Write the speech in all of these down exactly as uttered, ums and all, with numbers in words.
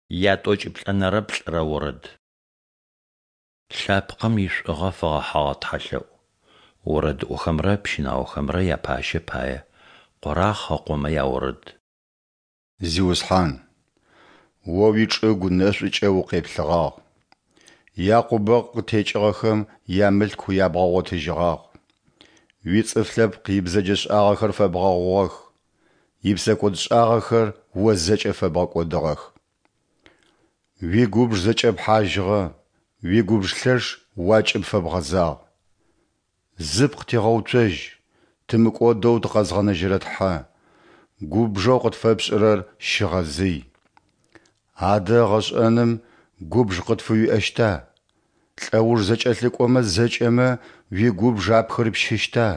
Ятӏокӏиплӏэнэрэ плӏырэ орэд. Лъэпкъым ишӏугъэ фэгъэхьыгъэ тхьэлъэӏу. Орэдыӏохэмрэ пщынаохэмрэ япащэ пае. Къорахъ ыкъомэ яорэд. Зиусхьан, О уичӏыгу нэшӏукӏэ укъеплъыгъагъ, Якъубэ къытекӏыгъэхэм ямылъку ябгъэгъотыжьыгъагъ. Уицӏыф лъэпкъ ибзэджэшӏагъэхэр фэбгъэгъугъэх, ипсэкӏодшӏагъэхэр О зэкӏэ фэбгъэкӏодыгъэх. Уигубж зэкӏэпхьажьыгъэ, уигубж лъэш уакӏыб фэбгъэзагъ. Зыпкъ тигъэуцожь, тымыкӏодэу тыкъэзгъэнэжьырэ Тхьэ, губжэу къытфэпшӏырэр щыгъэзый. Адэ егъэшӏэным губж къытфыуиӏэщта? Лӏэуж зэкӏэлъыкӏомэ зэкӏэмэ уигубж апхырыпщыщта?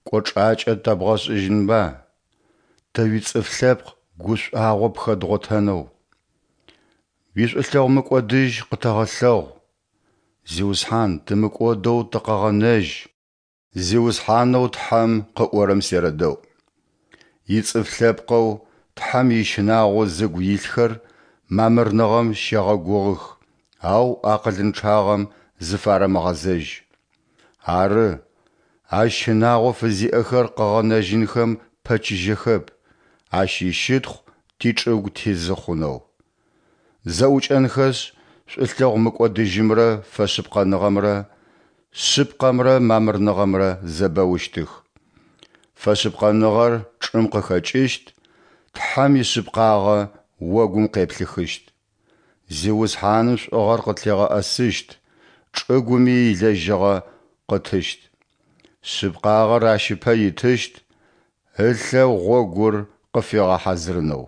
Кӏочӏакӏэ тэбгъэшӏыжьынба, тэ уицӏыф лъэпкъ гушӏуагъо пхэдгъотэнэу? Уишӏулъэгъу мыкӏодыжь къытэгъэлъэгъу, Зиусхьан, тымыкӏодэу тыкъэгъэнэжь. Зиусхьанэу Тхьэм къыӏорэм серэдэӏу. Ицӏыф лъэпкъэу Тхьэм ищынагъо зыгу илъхэр мамырныгъэм щегъэгугъых, ау акъылынчъагъэм зыфарэмыгъэзэжь. Ары, Ащ щынагъо фызиӏэхэр къыгъэнэжьынхэм пэчыжьэхэп, Ащ ищытхъу тичӏыгу тизы хъунэу. Зэӏукӏэнхэшъ, шӏулъэгъу мыкӏодыжьымрэ фэшъыпкъэныгъэмрэ, шъыпкъэмрэ мамырныгъэмрэ зэбэущтых. Фэшъыпкъэныгъэр чӏым къыхэкӏыщт, Тхьэм ишъыпкъагъэ огум къеплъыхыщт. Зиусхьаным шӏугъэр къытлъигъэӏэсыщт, чӏыгуми илэжьыгъэ къытыщт. Шъыпкъагъэр ащ ыпэ итыщт, ылъэ гъогур къыфигъэхьазырынэу.